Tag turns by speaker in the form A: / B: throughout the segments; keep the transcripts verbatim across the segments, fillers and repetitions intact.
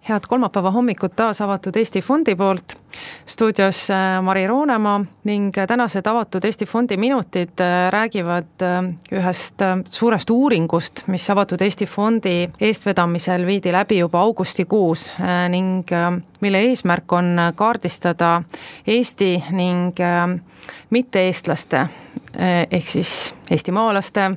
A: Head kolmapäeva hommikut taas avatud Eesti Fondi poolt. Stuudios Mari Roonemaa ning tänased avatud Eesti Fondi minutid räägivad ühest suurest uuringust, mis avatud Eesti Fondi eestvedamisel viidi läbi juba augustikuus ning mille eesmärk on kaardistada Eesti ning mitte-eestlaste ehk siis eestimaalaste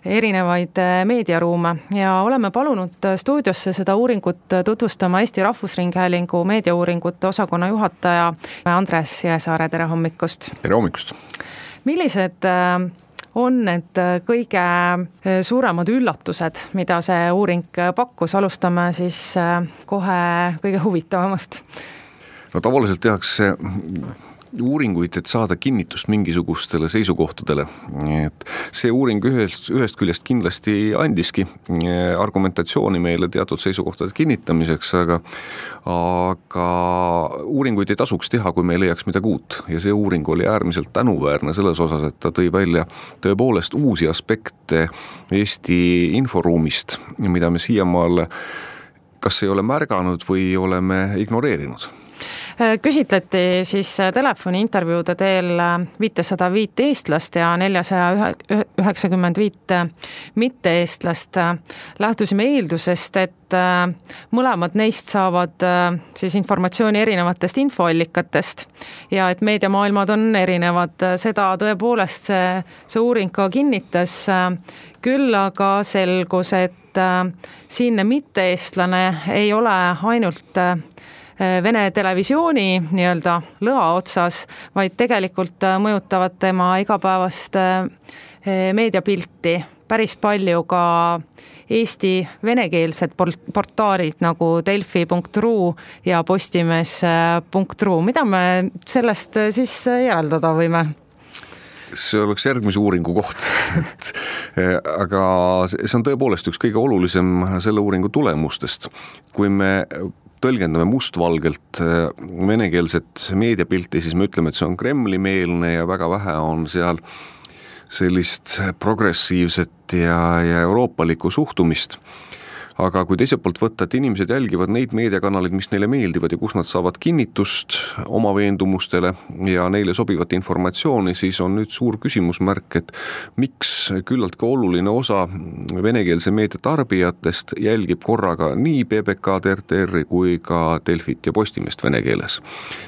A: erinevaid meediaruume ja oleme palunud stuudiosse seda uuringut tutvustama Eesti Rahvusringhäälingu meediauuringute osakonna juhataja Andres Jõesaare, tere hommikust!
B: Tere hommikust!
A: Millised on need kõige suuremad üllatused, mida see uuring pakkus? Alustame siis kohe kõige huvitavamast.
B: No tavaliselt tehakse uuringuid, et saada kinnitust mingisugustele seisukohtadele. Et see uuring ühest, ühest küljest kindlasti andiski argumentatsiooni meile teatud seisukohtade kinnitamiseks, aga, aga uuringuid ei tasuks teha, kui me ei leiaks midagi uut. Ja see uuring oli äärmiselt tänuväärne selles osas, et ta tõi välja tõepoolest uusi aspekte Eesti inforuumist, mida me siiamaal kas ei ole märganud või oleme ignoreerinud.
A: Küsitleti siis telefoni intervjuude teel viissada viis eestlast ja neljasada üheksakümmend viis mitte-eestlast. Lähtusime eeldusest, et mõlemad neist saavad siis informatsiooni erinevatest infoallikatest ja et meediamaailmad on erinevad. Seda tõepoolest see, see uuring ka kinnitas. Küll aga selgus, et siinne mitte-eestlane ei ole ainult Vene televisiooni nii-öelda lõa otsas, vaid tegelikult mõjutavad tema igapäevast meediapilti päris palju ka Eesti venekeelsed portaalid nagu delfi punkt ru ja postimees punkt ru. Mida me sellest siis järeldada võime?
B: See oleks järgmise uuringu koht. Aga see on tõepoolest üks kõige olulisem selle uuringu tulemustest. Kui me tõlgendame mustvalgelt venekeelset meediapilti, siis me ütleme, et see on Kremli-meelne ja väga vähe on seal sellist progressiivset ja, ja euroopalikku suhtumist. Aga kui teiselt poolt võtta, et inimesed jälgivad neid meediakanaleid, mis neile meeldivad ja kus nad saavad kinnitust oma veendumustele ja neile sobivat informatsiooni, siis on nüüd suur küsimusmärk, et miks küllalt ka oluline osa venekeelse meedia tarbijatest jälgib korraga nii B B K-d, R T R-i kui ka Delfit ja Postimest vene keeles.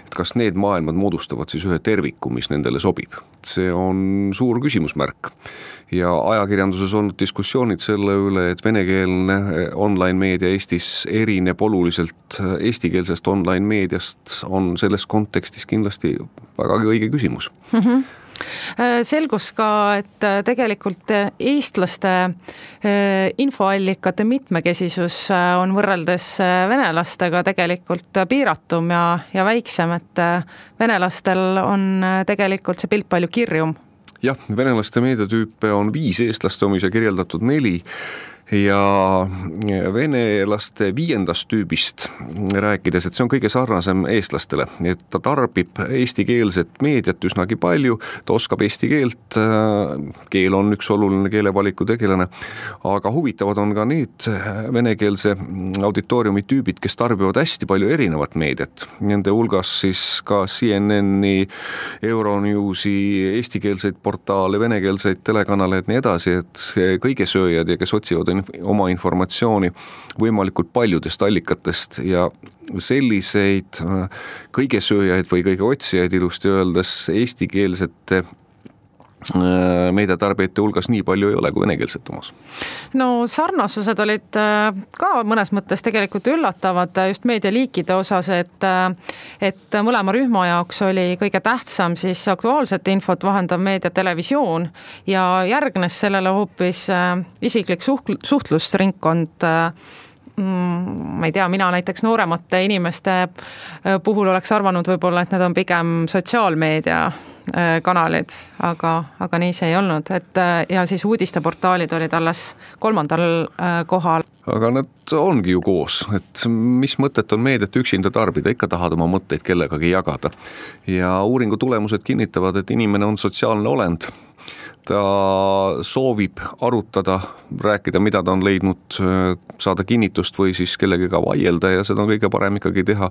B: Et kas need maailmad moodustavad siis ühe terviku, mis nendele sobib? See on suur küsimusmärk. Ja ajakirjanduses on diskussioonid selle üle, et venekeelne online-meedia Eestis erineb oluliselt eestikeelsest online-meediast, on selles kontekstis kindlasti väga õige küsimus.
A: Mm-hmm. Selgus ka, et tegelikult eestlaste infoallikate mitmekesisus on võrreldes venelastega tegelikult piiratum ja, ja väiksem, et venelastel on tegelikult see pilt palju kirjum.
B: Jah, venelaste meediatüüpe on viis, eestlaste omise kirjeldatud neli ja venelaste viiendast tüübist rääkides, et see on kõige sarnasem eestlastele, et ta tarbib eestikeelset meediat üsnagi palju, ta oskab eesti keelt, keel on üks oluline keelevaliku tegelane, aga huvitavad on ka need venekeelse auditooriumi tüübid, kes tarbivad hästi palju erinevat meediat. Nende hulgas siis ka C N N-i, Euronewsi, eestikeelseid portaale, venekeelseid telekanaleid ja nii edasi, et kõigesööjad ja kes otsivad oma informatsiooni võimalikult paljudest allikatest ja selliseid kõigesööjaid või kõige otsijaid ilusti öeldes eestikeelsete meediatarbijate hulgas nii palju ei ole kui venekeelset omas.
A: No sarnasused olid ka mõnes mõttes tegelikult üllatavad just meedialiikide osas, et, et mõlema rühma jaoks oli kõige tähtsam siis aktuaalset infot vahendav meedia televisioon ja järgnes sellele hoopis isiklik suhtlusringkond. Ma ei tea, mina näiteks nooremate inimeste puhul oleks arvanud võib-olla, et need on pigem sotsiaalmeedia kanalid, aga, aga nii see ei olnud, et ja siis uudisteportaalid olid alles kolmandal kohal.
B: Aga nad ongi ju koos, et mis mõtet on meediat üksinda tarbida, ikka tahad oma mõtteid kellegagi jagada. Ja uuringu tulemused kinnitavad, et inimene on sotsiaalne olend. ta soovib arutada, rääkida, mida ta on leidnud, saada kinnitust või siis kellegagi vaielda ja seda on kõige parem ikkagi teha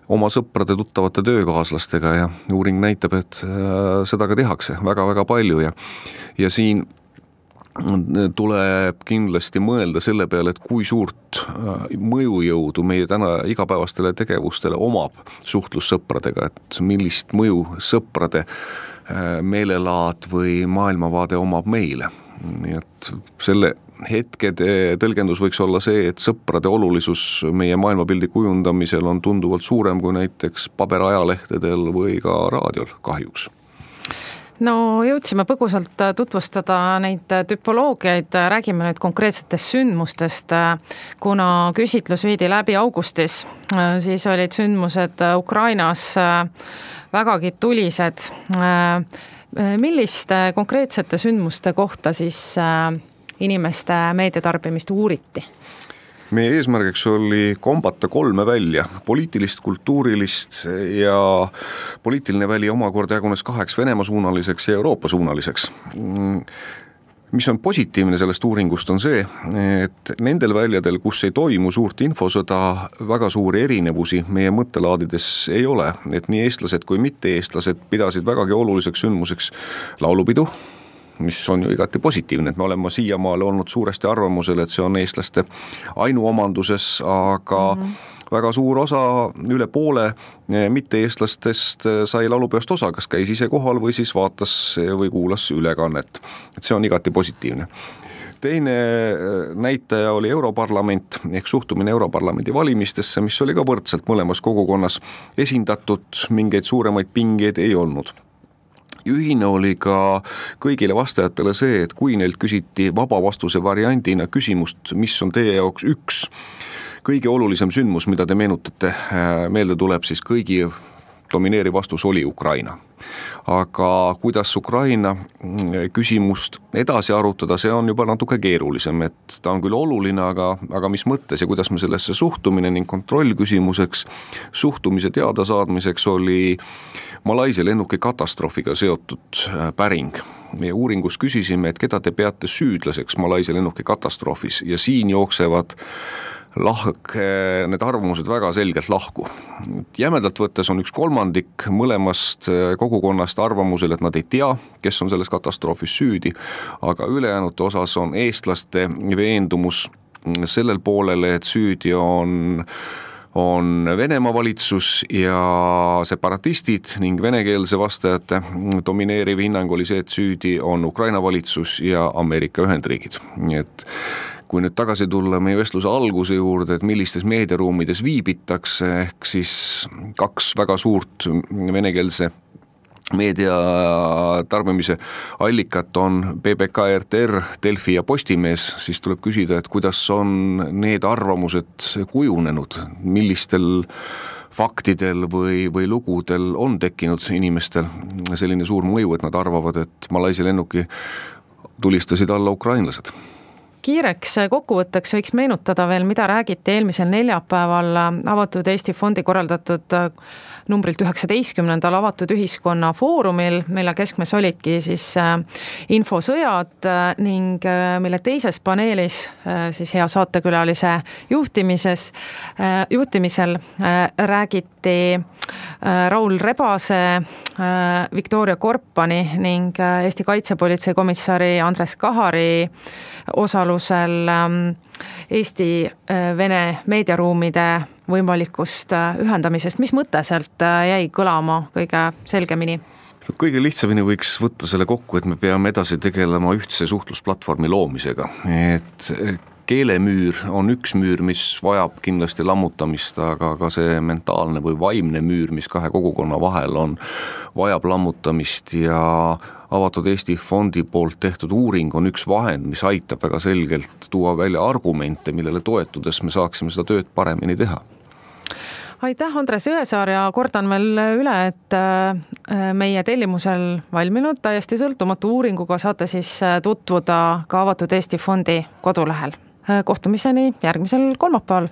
B: oma sõprade, tuttavate töökaaslastega ja uuring näitab, et seda ka tehakse väga-väga palju ja, ja siin tuleb kindlasti mõelda selle peale, et kui suurt mõjujõudu meie täna igapäevastele tegevustele omab suhtlus sõpradega, et millist mõju sõprade meelelaad või maailmavaade omab meile. Nii et selle hetkede tõlgendus võiks olla see, et sõprade olulisus meie maailmapildi kujundamisel on tunduvalt suurem kui näiteks paberajalehtedel või ka raadiol kahjuks.
A: No jõudsime põgusalt tutvustada neid tüpoloogiaid, räägime nüüd konkreetsetest sündmustest, kuna küsitlus viidi läbi augustis, siis olid sündmused Ukrainas vägagi tulised. Milliste konkreetsete sündmuste kohta siis inimeste meediatarbimist uuriti?
B: Meie eesmärgiks oli kombata kolme välja, poliitilist, kultuurilist ja poliitiline väli omakorda jagunes kaheks Venemaa suunaliseks ja Euroopa suunaliseks. Mis on positiivne sellest uuringust on see, et nendel väljadel, kus ei toimu suurt infosõda, väga suuri erinevusi meie mõttelaadides ei ole, et nii eestlased kui mitte eestlased pidasid vägagi oluliseks sündmuseks laulupidu, mis on ju igati positiivne, et me oleme siiamaale olnud suuresti arvamusel, et see on eestlaste ainuomanduses, aga mm-hmm. väga suur osa, üle poole mitte-eestlastest sai laulupeost osa, kas käis ise kohal või siis vaatas või kuulas ülekannet. Et see on igati positiivne. Teine näitaja oli Europarlament ehk suhtumine Europarlamendi valimistesse, mis oli ka võrdselt mõlemas kogukonnas esindatud, mingeid suuremaid pingeid ei olnud. Ühine oli ka kõigile vastajatele see, et kui neilt küsiti vaba vastuse variandina küsimust, mis on teie jaoks üks kõige olulisem sündmus, mida te meenutate, meelde tuleb, siis kõigi domineeriv vastus oli Ukraina. Aga kuidas Ukraina küsimust edasi arutada, see on juba natuke keerulisem, et ta on küll oluline, aga, aga mis mõttes ja kuidas me sellesse suhtumine ning kontroll küsimuseks, suhtumise teada saadmiseks oli Malaisia lennuki katastroofiga seotud päring. Meie uuringus küsisime, et keda te peate süüdlaseks Malaisia lennuki katastroofis ja siin jooksevad lahk, need arvamused väga selgelt lahku. Jämedalt võttes on üks kolmandik mõlemast kogukonnast arvamusel, et nad ei tea, kes on selles katastroofis süüdi, aga ülejäänute osas on eestlaste veendumus sellel poolele, et süüdi on on Venemaa valitsus ja separatistid ning venekeelse vastajate domineeriv hinnang oli see, et süüdi on Ukraina valitsus ja Ameerika Ühendriigid. Nii et kui nüüd tagasi tulla meie vestluse alguse juurde, et millistes meediaruumides viibitakse, ehk siis kaks väga suurt venekeelse meedia tarbimise allikat on B B K, R T R, Delfi ja Postimees, siis tuleb küsida, et kuidas on need arvamused kujunenud, millistel faktidel või, või lugudel on tekkinud inimestel selline suur mõju, et nad arvavad, et Malaisia lennuki tulistasid alla ukrainlased.
A: Kiireks kokkuvõtteks võiks meenutada veel, mida räägiti eelmisel neljapäeval Avatud Eesti Fondi korraldatud numbrilt üheksateistkümnendal avatud ühiskonna foorumil, mille keskmes olidki siis infosõjad ning mille teises paneelis siis hea saatekülalise juhtimises, juhtimisel räägiti Raul Rebase, Viktoria Korpani ning Eesti Kaitsepolitsei komissari Andres Kahari osalusel Eesti-Vene meediaruumide võimalikust ühendamisest. Mis mõte sealt jäi kõlama kõige selgemini?
B: Kõige lihtsamini võiks võtta selle kokku, et me peame edasi tegelema ühtse suhtlusplatvormi loomisega. Et keelemüür on üks müür, mis vajab kindlasti lammutamist, aga ka see mentaalne või vaimne müür, mis kahe kogukonna vahel on, vajab lammutamist ja Avatud Eesti Fondi poolt tehtud uuring on üks vahend, mis aitab väga selgelt tuua välja argumente, millele toetudes me saaksime seda tööd paremini teha.
A: Aitäh, Andres Jõesaar, ja kordan veel üle, et meie tellimusel valminud täiesti sõltumatu uuringuga saate siis tutvuda ka Avatud Eesti Fondi kodulehel. Kohtumiseni järgmisel kolmapäeval.